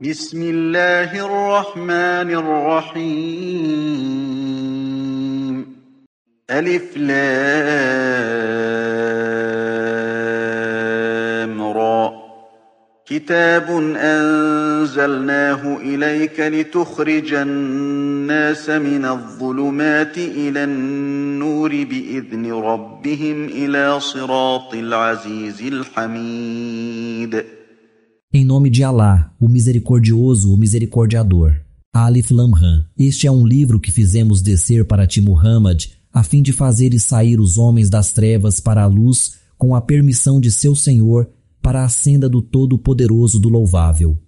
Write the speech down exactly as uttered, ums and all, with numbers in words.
بسم الله الرحمن الرحيم ألف لام را كتاب أنزلناه إليك لتخرج الناس من الظلمات إلى النور بإذن ربهم إلى صراط العزيز الحميد. Em nome de Alá, o Misericordioso, o Misericordiador. Alif Lam Ram. Este é um livro que fizemos descer para ti, Muhammad, a fim de fazeres sair os homens das trevas para a luz com a permissão de seu Senhor, para a senda do Todo-Poderoso do Louvável.